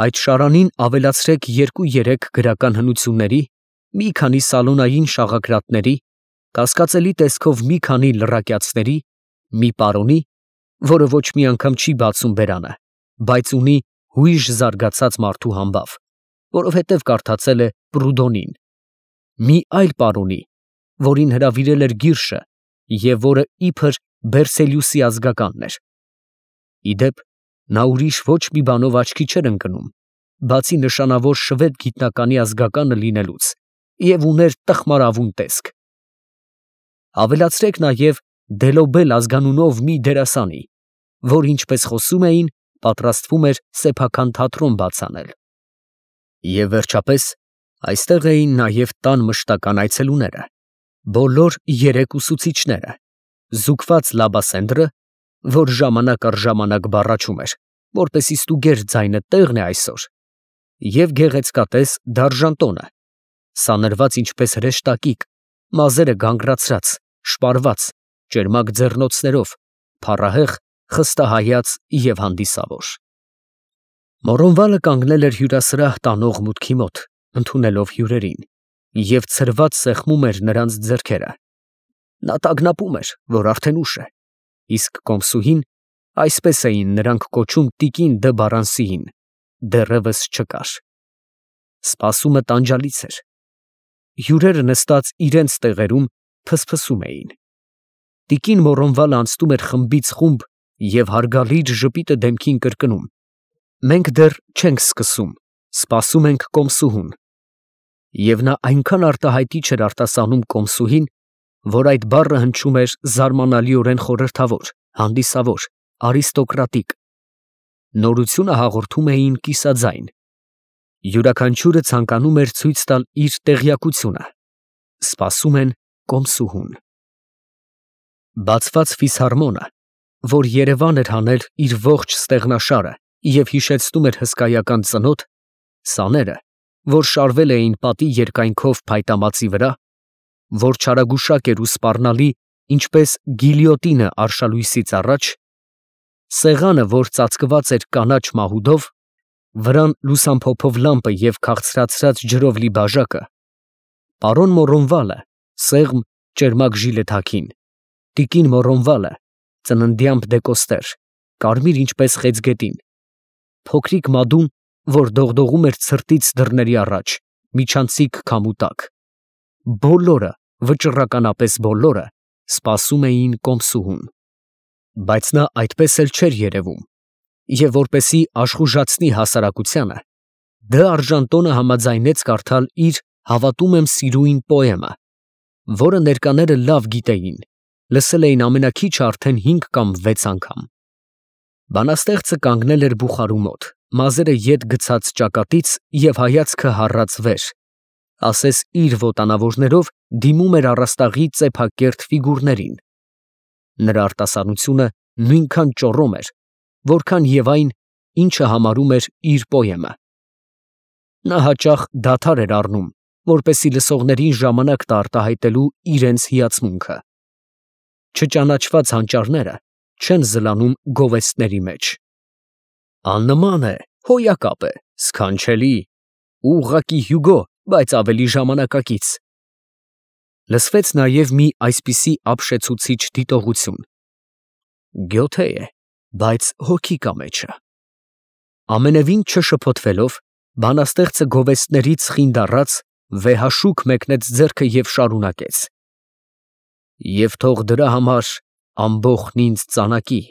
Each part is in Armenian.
Այդ շարանին ավելացրեք 2-3 գրական հնությունների, մի քանի սալոնային շաղակրատների, կասկածելի տեսքով մի քանի լրակյացների, մի պարոնի, որը ոչ մի անգամ չի բացում բերանը, բայց ունի հույժ զարգացած մարդու համբավ, որովհետև կարդացել է Պրուդոնին, մի այլ պարոնի, որին հրավիրել էր Գիրշը և որը իբր Բերսելիուսի ազգականն էր. ի դեպ, նա ուրիշ ոչ մի բանով աչքի չէր ընկնում, բացի նշանավոր շվեդ գիտնականի ազգականը լինելուց, և ուներ տխմարավուն տեսք. ավելացրեք նաև Դելոբել ազգանունով մի դերասանի, որ, ինչպես խոսում էին, պատրաստվում էր սեփական թատրոն բաց անել. և վերջապես, այստեղ էին նաև տան մշտական այցելուները, բոլոր 3 ուսուցիչները, զուգված Լաբասենդրը, որ ժամանակ առ ժամանակ բառաչում էր, որպեսզի ստուգեր ձայնը տե՞ղն է այսօր, և գեղեցկատես Դարժանտոնը, սանրված ինչպես հրեշտակիկ, մազերը գանգրացրած, շպարված, ճերմակ ձեռնոցներով, փառահեղ, խստահայաց և հանդիսավոր։ Մորոնվալը կանգնել էր հյուրասրահ տանող մուտքի մոտ, ընդունելով հյուրերին, և ցրված սեղմում էր նրանց ձեռքերը։ Նա տագնապում էր, որ արդեն ուշ է, իսկ կոմսուհին, այսպես էին նրանք կոչում տիկին դը Բարանսիին, դեռևս չկար։ Սպասումը տանջալից էր։ Հյուրերը նստած իրենց տեղերում ֆսֆսում էին։ Տիկին Մորոնվալը անցնում էր խմբից խումբ և հարգալից ժպիտը դեմքին կրկնում. «Մենք դեռ չենք սկսում, սպասում ենք կոմսուհուն»։ Եվ նա այնքան արտահայտիչ էր արտասանում կոմսուհին, որ այդ բառը հնչում էր զարմանալիորեն խորհրդավոր, հանդիսավոր, արիստոկրատիկ։ Նորությունը հաղորդում էին կիսաձայն։ Յուրաքանչյուրը ցանկանում էր ցույց տալ իր տեղյակությունը։ Սպասում են կոմսուհուն։ Բացված ֆիսհարմոնը, որ Երևան էր հանել իր ողջ ստեղնաշարը և հիշեցնում էր հսկայական ծնոտ, սաները, որ շարվել էին պատի երկայնքով փայտամածի վրա, որ չարագուշակ էր ու սպառնալի, ինչպես գիլյոտինը արշալույսից առաջ, սեղանը, որ ծածկված էր կանաչ մահուդով, վրան լուսամփոփով լամպը և քաղցրացրած ջրով լի բաժակը, պարոն Մորոնվալը, սեղմ, ճերմակ ժիլեթաքին, տիկին Մորոնվալը, ծննդյամբ դեկոստեր, կարմիր ինչպես խեցգետին, փոքրիկ Մադուն, որ դողդողում էր ցրտից դռների առաջ, միջանցիկ քամու տակ, բոլորը, վճռականապես բոլորը, սպասում էին կոմսուհուն։ Բայց նա այդպես էլ չէր երևում, և որպեսզի աշխուժացնի հասարակությանը, դը Արժանտոնը համաձայնեց կարդալ իր «Հավատում եմ սիրուին» պոեմը, որը ներկաները լավ գիտեին, լսել էին ամենաքիչը արդեն 5 կամ 6 անգամ։ Բանաստեղծը կանգնել էր բուխարու մոտ, մազերը ետ գցած ճակատից և հայացքը հառած վեր, ասես իր ոտանավորներով դիմում էր առաստաղի ծեփակերտ ֆիգուրներին։ Նրա արտասանությունը նույնքան ճոռոմ էր, որքան և այն, ինչը համարում էր իր պոեմը։ Նա հաճախ դադար էր առնում, որպեսզի լսողներին ժամանակ տա արտահայտելու իրենց հիացմունքը։ Չճանաչված հանճարները չեն զլանում գովեստների մեջ։ Աննման է, հոյակապ է, սքանչելի, ուղղակի Հյուգո, բայց ավելի ժամանակակից։ Լսվեց նաև մի այսպիսի ապշեցուցիչ դիտողություն. Գյոթե է, բայց հոգի կա մեջը։ Ամենևին չշփոթվելով, բանաստեղծը գովեստներից խինդ առած, վեհաշուք մեկնեց ձեռքը և շարունակեց. «Եվ թող դրա համար ամբոխն ինձ ծանակի,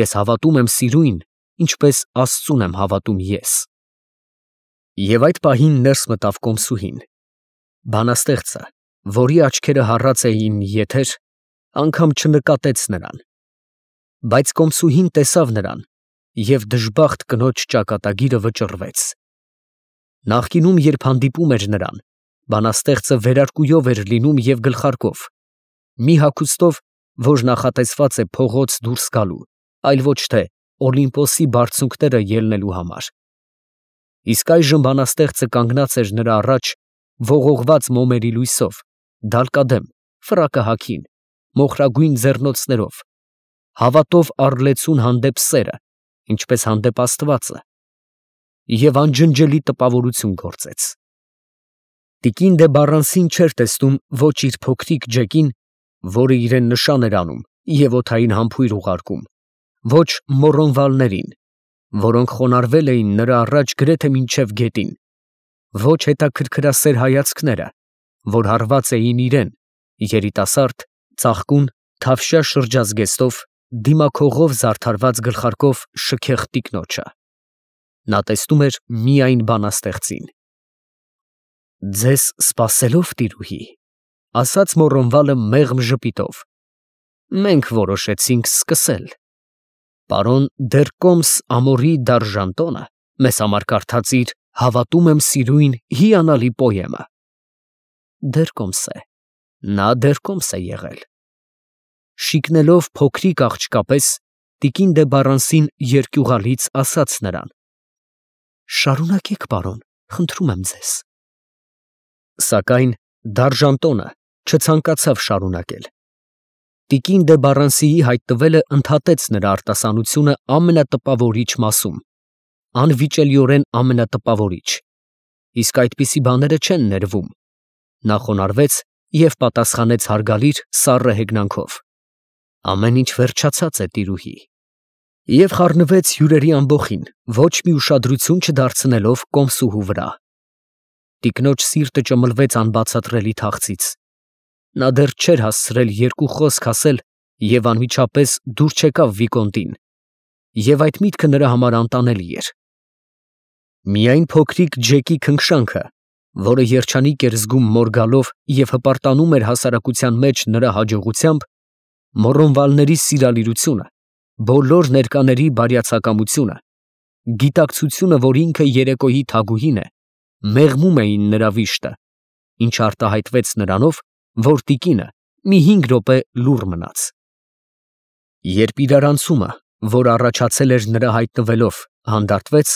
ես հավատում եմ սիրույն, ինչպես Աստծուն եմ հավատում ես»։ Եվ այդ պահին ներս մտավ կոմսուհին։ Բանաստեղծը, որի աչքերը հառած էին եթեր, անգամ չնկատեց նրան։ Բայց կոմսուհին տեսավ նրան, և դժբախտ կնոջ ճակատագիրը վճռվեց։ Նախկինում, երբ հանդիպում էր նրան, բանաստեղծը վերարկուով էր լինում և գլխարկով, մի հագուստով, որ նախատեսված է փողոց դուրս գալու, այլ ոչ թե Օլիմպոսի բարձունքները ելնելու համար։ Իսկ այժմ բանաստեղծը կանգնած էր նրա առաջ ողողված մոմերի լույսով, դալկադեմ, ֆրակը հագին, մոխրագույն ձեռնոցներով, հավատով առլեցուն հանդեպ սերը, ինչպես հանդեպ աստվածը, և անջնջելի տպավորություն գործեց։ Տիկին դե Բառանսին չէր տեսնում ոչ իր փոքրիկ Ջեկին, որը իրեն նշան էր անում և օդային համբույր ուղարկում, ոչ Մոռոնվալներին, որոնք խոնարհվել էին նրա առաջ գրեթե մինչև գետին, ոչ հետաքրքրասեր հայացքները, որ հարված էին իրեն, երիտասարդ, ծաղկուն, թավշյա շրջազգեստով, դիմաքողով զարդարված գլխարկով շքեղ տիկնոջը։ Նա տեսնում էր միայն բանաստեղծին։ «Ձեզ սպասելով, տիրուհի, ֊ ասաց Մոռոնվալը մեղմ ժպիտով, ֊ մենք որոշեցինք սկսել։ Պարոն Դերկոմս Ամորի Դարժանտոնը մեզ համար կարդաց իր «Հավատում եմ» սիրուն հիանալի պոեմը։ Դերկոմս է, նա Դերկոմս է եղել։ Շիկնելով փոքրիկ աղջկա պես, տիկին դե Բառանսին երկյուղալից ասաց նրան. «Շարունակեք, պարոն, խնդրում եմ ձեզ»։ Սակայն Դարժանտոնը չցանկացավ շարունակել։ Տիկին դե Բառանսիի հայտնվելը ընդհատեց նրա արտասանությունը ամենատպավորիչ մասում, անվիճելիորեն ամենատպավորիչ, իսկ այդպիսի բաները չեն ներվում։ Նա խոնարհվեց և պատասխանեց հարգալից սառը հեգնանքով. «Ամեն ինչ վերջացած է, տիրուհի», և խառնվեց հյուրերի ամբոխին, ոչ մի ուշադրություն չդարձնելով կոմսուհու վրա։ Տիկնոջ սիրտը ճմլվեց անբացատրելի թախծից։ Նա դեռ չէր հասցրել երկու խոսք ասել և անմիջապես դուր չեկավ վիկոնտին, և այդ միտքը նրա համար անտանելի էր։ Միայն փոքրիկ Ջեկի քնքշանքը, որը երջանիկ էր զգում մոր գալով և հպարտանում էր հասարակության մեջ նրա հաջողությամբ, Մոռոնվալների սիրալիրությունը, բոլոր ներկաների բարյացակամությունը, գիտակցությունը, որ ինքը երեկոյի թագուհին է, մեղմում էին նրա վիշտը, ինչը արտահայտվեց նրանով, որ տիկինը մի 5 րոպե լուռ մնաց։ Երբ իրարանցումը, որ առաջացել էր նրա հայտնվելով, հանդարտվեց,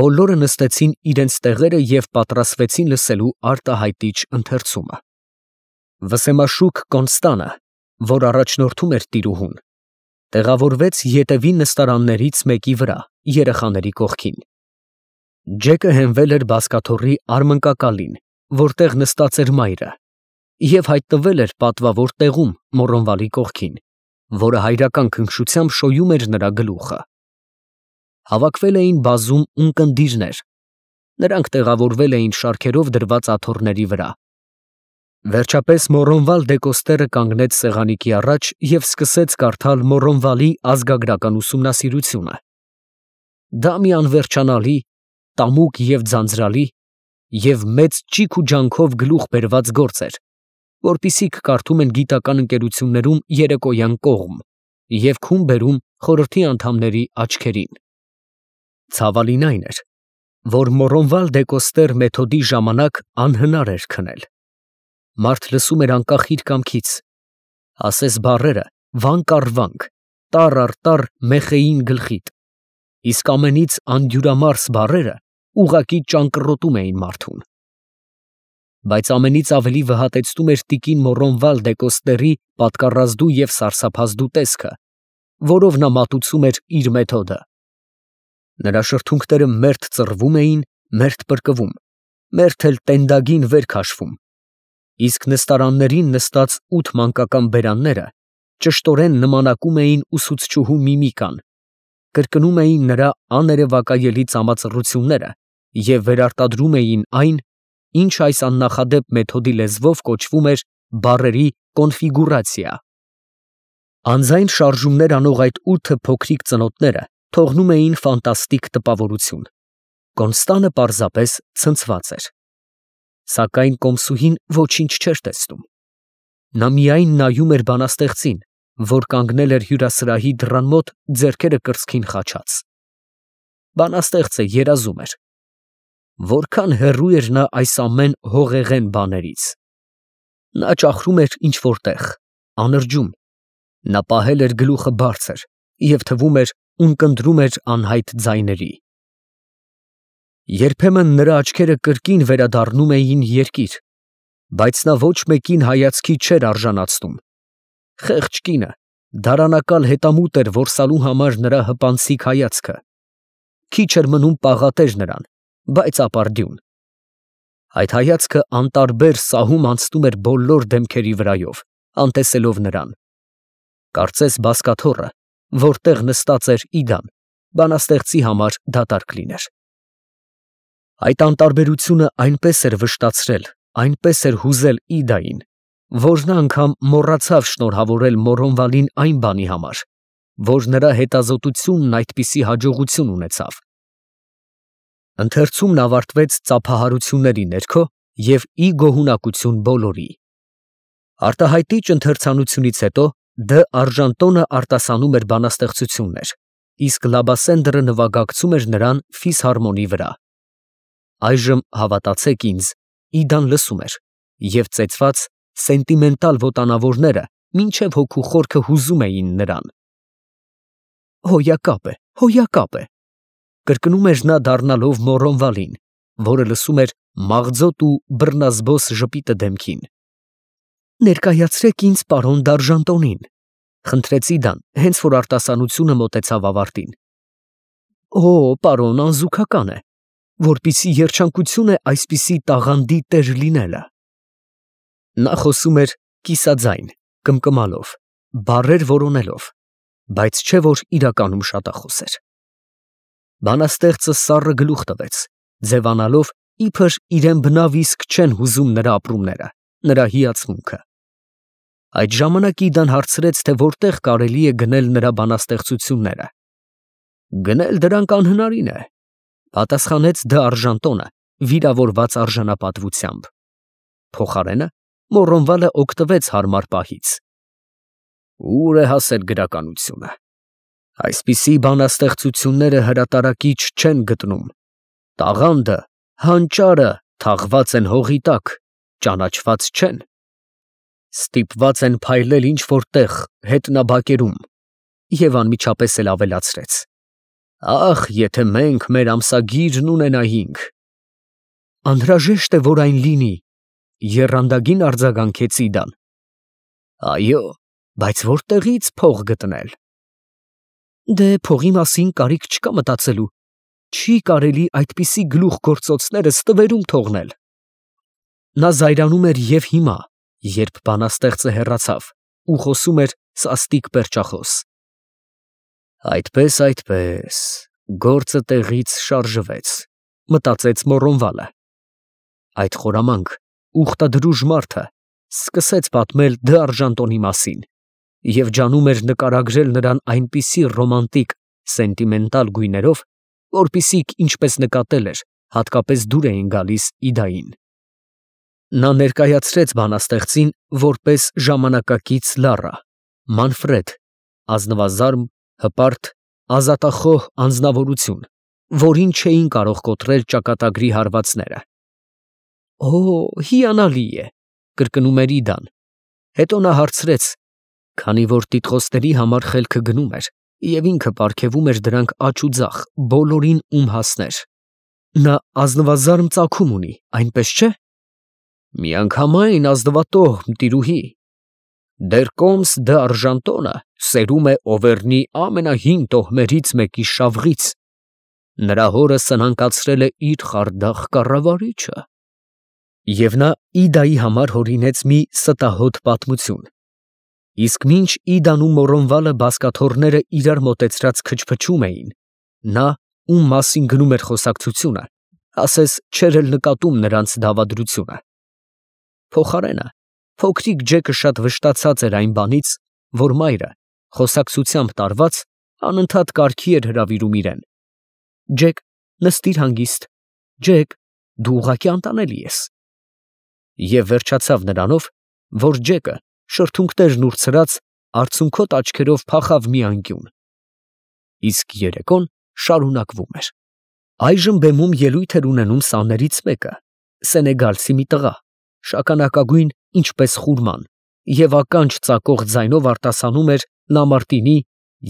բոլորը նստեցին իրենց տեղերը և պատրաստվեցին լսելու արտահայտիչ ընթերցումը։ Վսեմաշուք Կոնստանը, որ առաջնորդում էր տիրուհուն, տեղավորվեց ետևի նստարաններից մեկի վրա, երեխաների կողքին։ Ջեկը հենվել էր բազկաթոռի արմնկակալին, որտեղ նստած էր մայրը, և հայտնվել էր պատվավոր տեղում Մոռոնվալի կողքին, որը հայրական քնքշությամբ շոյում էր նրա գլուխը։ Հավաքվել էին բազում ունկնդիրներ, նրանք տեղավորվել էին շարքերով դրված աթոռների վրա։ Վերջապես Մոռոնվալ դե Կոստերը կանգնեց սեղանիկի առաջ և սկսեց կարդալ Մոռոնվալի ազգագրական ուսումնասիրությունը։ Դա մի անվերջանալի, տամուկ և ձանձրալի և մեծ ճիգ ու ջանքով գլուխ բերված գործ էր, որպիսիք կարդում են գիտական ընկերություններում երեկոյան կողմ և քուն բերում խորհրդի անդամների աչքերին։ Ցավալին այն էր, որ Մոռոնվալ դե Կոստեր մեթոդի ժամանակ անհնար էր քնել։ Մարդ լսում էր անկախ իր կամքից, ասես բառերը վանք առ վանք, տառ առ տառ մեխեին գլխիդ, իսկ ամենից անդյուրամարս բառերը ուղղակի ճանկռոտում էին մարդուն։ Բայց ամենից ավելի վհատեցնում էր տիկին Մոռոնվալ դե Կոստերի պատկառազդու և սարսափազդու տեսքը, որով նա մատուցում էր իր մեթոդը։ Նրա շրթունքները մերթ ծռվում էին, մերթ պրկվում, մերթ էլ տենդագին վեր քաշվում, իսկ նստարաններին նստած 8 մանկական բերանները ճշտորեն նմանակում էին ուսուցչուհու միմիկան, կրկնում էին նրա աներևակայելի ծամածռությունները և վերարտադրում էին այն, ինչ այս աննախադեպ մեթոդի լեզվով կոչվում էր բառերի կոնֆիգուրացիա։ Անձայն շարժումներ անող այդ 8 փոքրիկ ծնոտները թողնում էին ֆանտաստիկ տպավորություն։ Կոնստանը պարզապես ցնցված էր։ Սակայն կոմսուհին ոչինչ չէր տեսնում։ Նա միայն նայում էր բանաստեղծին, որ կանգնել էր հյուրասրահի դռան մոտ ձեռքերը կրծքին խաչած։ Բանաստեղծը երազում էր։ Որքան հեռու էր նա այս ամեն հողեղեն բաներից։ Նա ճախրում էր ինչ֊որ տեղ, անրջում, նա պահել էր գլուխը բարձր և թվում էր ունկնդրում էր անհայտ ձայների։ Երբեմն նրա աչքերը կրկին վերադառնում էին երկիր, բայց նա ոչ մեկին հայացքի չէր արժանացնում։ Խեղճ կինը, դարանակալ հետամուտ էր որսալու համար նրա հպանցիկ հայացքը։ քիչ էր մնում պաղատեր նրան, բայց ապարդյուն։ Այդ հայացքը անտարբեր սահում անցնում էր բոլոր դեմքերի վրայով, անտեսելով նրան։ Կարծես բազկաթոռը, որտեղ նստած էր Իդան, բանաստեղծի համար դատարկ լիներ։ Այդ անտարբերությունը այնպես էր վշտացրել, այնպես էր հուզել Իդային, որ նա անգամ մոռացավ շնորհավորել Մորոնվալին այն բանի համար, որ նրա հետազոտությունն այդպիսի հաջողություն ունեցավ։ Ընթերցումն ավարտվեց ծափահարությունների ներքո և ի գոհունակություն բոլորի։ Արտահայտիչ ընթերցանությունից հետո Դ. Արժանտոնը արտասանում էր բանաստեղծություններ, իսկ Լաբասենդրը նվագակցում էր նրան ֆիսհարմոնի վրա։ Այժմ, հավատացեք ինձ, Իդան լսում էր, և ծեծված, սենտիմենտալ ոտանավորները մինչև հոգու խորքը հուզում էին նրան։ Հոյակապ է, հոյակապ է, կրկնում էր նա դառնալով Մորոնվալին, որը լսում էր մաղձոտ ու բռնազբոս ժպիտը դեմքին։ Ներկայացրեք ինձ պարոն Դարժանտոնին, խնդրեց Իդան, հենց որ արտասանությունը մոտեցավ ավարտին։ Օ, պարոն, անզուգական է, որպիսի երջանկություն է այսպիսի տաղանդի տեր լինելը։ Նա խոսում էր կիսաձայն, կմկմալով, բառեր որոնելով, բայց չէ որ իրականում շատախոս էր։ Բանաստեղծը սառը գլուխ տվեց, ձևանալով, իբր իրեն բնավ իսկ չեն հուզում նրա ապրումները, նրա հիացմունքը։ Այդ ժամանակ Իդան հարցրեց, թե որտեղ կարելի է գնել նրա բանաստեղծությունները։ Գնել դրանք անհնարին է, պատասխանեց Դ. Արժանտոնը, վիրավորված արժանապատվությամբ։ Փոխարենը Մորոնվալը օգտվեց հարմար պահից։ Ուր է հասել գրականությունը։ Այսպիսի բանաստեղծությունները հրատարակիչ չեն գտնում։ Տաղանդը, հանճարը թաղված են հողի տակ, ճանաչված չեն։ Ստիպված են փայլել ինչ-որ տեղ հետնաբակերում, և անմիջապես էլ ավելացրեց. Ախ, եթե մենք մեր ամսագիրն ունենայինք։ Անհրաժեշտ է, որ այն լինի, եռանդագին արձագանքեց Իդան։ Այո, բայց որտեղից փող գտնել։ Դե փողի մասին կարիք չկա մտածելու, չի կարելի այդպիսի գլուխգործոցները ստվերում թողնել։ Նա զայրանում էր և հիմա, երբ բանաստեղծը հեռացավ ու խոսում էր սաստիկ պերճախոս։ Այդպես, գործը տեղից շարժվեց, մտածեց Մորոնվալը։ Այդ խորամանկ, ուխտադրուժ մարդը սկսեց պատմել Դ. Արժանտոնի մասին և ջանում էր նկարագրել նրան այնպիսի ռոմանտիկ, սենտիմենտալ գույներով, որպիսիք, ինչպես նկատել էր, հատկապես դուր էին գալիս Իդային։ Նա ներկայացրեց բանաստեղծին որպես ժամանակակից Լառա, Մանֆրեդ, ազնվազարմ, հպարտ, ազատախոհ անձնավորություն, որին չէին կարող կոտրել ճակատագրի հարվածները։ Օ, հիանալի է, կրկնում էր Իդան։ Հետո նա հարցրեց, քանի որ տիտղոսների համար խելքը գնում էր, և ինքը պարգևում էր դրանք աջ ու ձախ, բոլորին ում հասներ։ Նա ազնվազարմ ծագում ունի, այնպես չէ։ Միանգամայն ազնվատոհ տիրուհի։ Դեռ կոմս Դ. Արժանտոնը սերում է Օվերնի ամենահին տոհմերից մեկի շավղից։ Նրա հորը սնանկացրել է իր խարդախ կառավարիչը։ Եվ նա Իդայի համար հորինեց մի ստահոդ պատմություն։ Իսկ մինչ Իդան ու Մորոնվալը բազկաթոռները իրար մոտեցրած քչփչում էին, նա, ում մասին գնում էր խոսակցությունը, ասես չէր էլ նկատում նրանց դավադրությունը։ Փոխարենը, փոքրիկ Ջեկը շատ վշտացած էր այն բանից, որ մայրը, խոսակցությամբ տարված, անընդհատ կարգի էր հրավիրում իրեն. Ջեք, նստիր հանգիստ, Ջեք, դու ուղղակի անտանելի ես։ Եվ վերջացավ նրանով, որ Ջեկը, շրթունքներն ուրցրած, արցունքոտ աչքերով փախավ մի անկյուն։ Իսկ երեկոն շարունակվում էր։ Այժմ բեմում ելույթ էր ունենում սաներից մեկը, սենեգալցի մի տղա, շագանակագույն, ինչպես խուրման, և ականջ ծակող ձայնով արտասանում էր Լամարտինի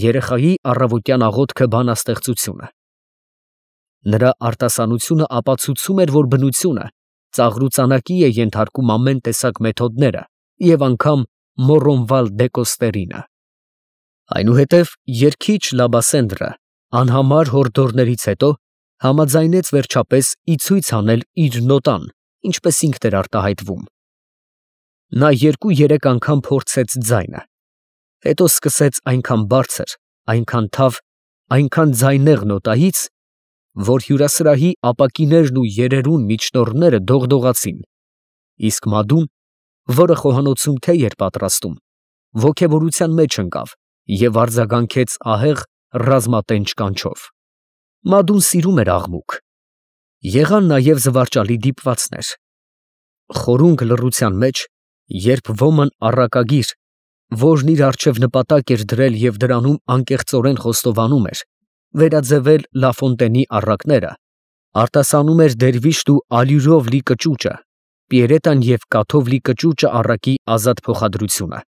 երեխայի առավոտյան աղոթքը բանաստեղծությունը։ Նրա արտասանությունը ապացուցում էր, որ բնությունը ծաղրուծանակի է ենթարկում ամեն տեսակ մեթոդները և անգամ Մորոնվալ Դեկոստերինը։ Այնուհետև երգիչ Լաբասենդրը անհամար հորդորներից հետո համաձայնեց վերջապես ի ցույց անել իր նոտան, ինչպես ինքն էր արտահայտվում։ Նա 2-3 անգամ փորձեց ձայնը, հետո սկսեց այնքան բարձր, այնքան թավ, այնքան ձայնեղ նոտայից, որ հյուրասրահի ապակիներն ու երերուն միջնորդները դողդողացին, իսկ Մադուն, որը խոհանոցում թեյ էր պատրաստում, ոգևորության մեջ ընկավ և արձագանքեց ահեղ ռազմատենչ կանչով։ Մադուն սիրում էր աղմուկ։ Եղան նաև զվարճալի դիպվածներ։ Խորունկ լռության մեջ, երբ ոմն առակագիր, որն իր առջև նպատակ էր դրել և դրանում անկեղծորեն խոստովանում էր, վերաձևել Լաֆոնտենի առակները, արտասանում էր դերվիշտ ու ալյուրով լի կճուճը, Պիերետան և կաթով լի կճուճը առակի ազատ փոխադրությունը։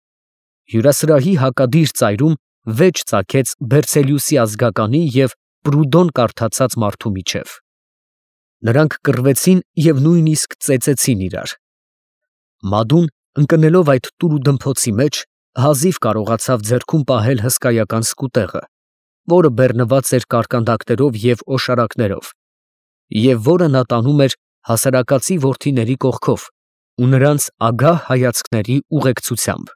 Հյուրասրահի հակադիր ծայրում վեճ ծագեց Բերցելիուսի ազգականի և Պրուդոն կարդացած մարդու միջև։ Նրանք կռվեցին և նույնիսկ ծեծեցին իրար։ Մադուն, ընկնելով այդ տուրուդմփոցի մեջ, հազիվ կարողացավ ձեռքում պահել հսկայական սկուտեղը, որը բեռնված էր կարկանդակներով և օշարակներով, և որը նա տանում էր հասարակածի որդիների կողքով ու նրանց ագահ հայացքների ուղեկցությամբ։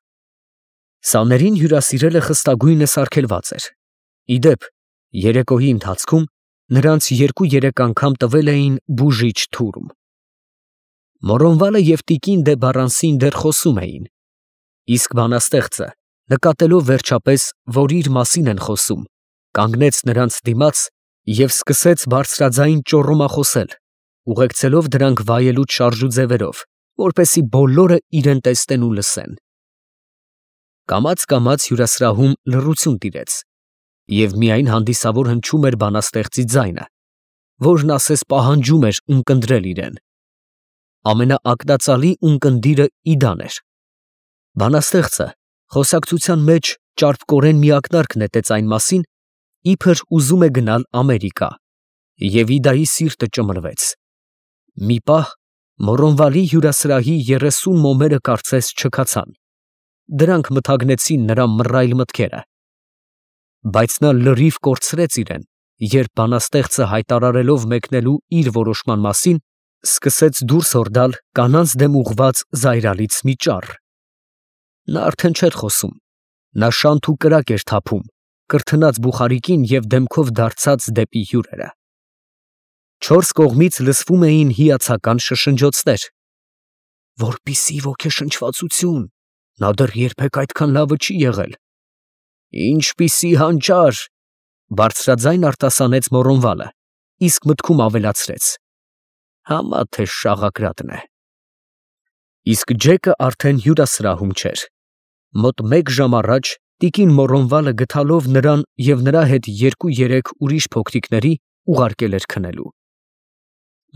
Սաներին հյուրասիրելը խստագույնս արգելված էր։ Ի դեպ, երեկոյի ընթացքում նրանց 2-3 անգամ տվել էին բուժիչ թուրմ։ Մորոնվալը և տիկին դե Բառանսին դեռ խոսում էին, իսկ բանաստեղծը, նկատելով վերջապես, որ իր մասին են խոսում, կանգնեց նրանց դիմաց և սկսեց բարձրաձայն ճոռոմախոսել, ուղեկցելով դրանք վայելուչ շարժուձևերով, որպեսզի բոլորը իրեն տեսնեն ու լսեն։ Կամաց հյուրասրահում լռություն տիրեց, և միայն հանդիսավոր հնչում էր բանաստեղծի ձայնը, որն ասես պահանջում էր ունկնդրել իրեն։ Ամենաակնածալի ունկնդիրը Իդան էր։ Բանաստեղծը խոսակցության մեջ ճարպկորեն մի ակնարկ նետեց այն մասին, իբր ուզում է գնալ Ամերիկա, և Իդայի սիրտը ճմրվեց։ Մի պահ Մորոնվալի հյուրասրահի 30 մոմերը կարծես չքացան, դրանք մթագնեցին նրա մռայլ մտքերը։ Բայց նա լրիվ կորցրեց իրեն, երբ բանաստեղծը հայտարարելով մեկնելու իր որոշման մասին, սկսեց դուրս հորդալ կանանց դեմ ուղղված զայրալից մի ճառ։ Նա արդեն չէր խոսում, նա շանթ ու կրակ էր թափում, կրթնած բուխարիկին և դեմքով դարձած դեպի հյուրերը։ Չորս կողմից լսվում էին հիացական շշնջոցներ. «Որպիսի ոգեշնչվածություն, նա դեռ երբեք այդքան լավը չի եղել»։ «Ինչպիսի հանճար», բարձրաձայն արտասանեց Մորոնվալը, իսկ մտքում ավելացրեց. «Համա թե շաղակրատն է»։ Իսկ Ջեկը արդեն հյուրասրահում չէր։ Մոտ 1 ժամ առաջ տիկին Մորոնվալը գթալով նրան և նրա հետ 2-3 ուրիշ փոքրիկների ուղարկել էր քնելու։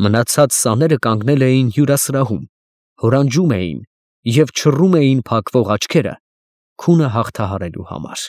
Մնացած սաները կանգնել էին հյուրասրահում, հորանջում էին և չռում էին փակվող աչքերը քունը հաղթահարելու համար։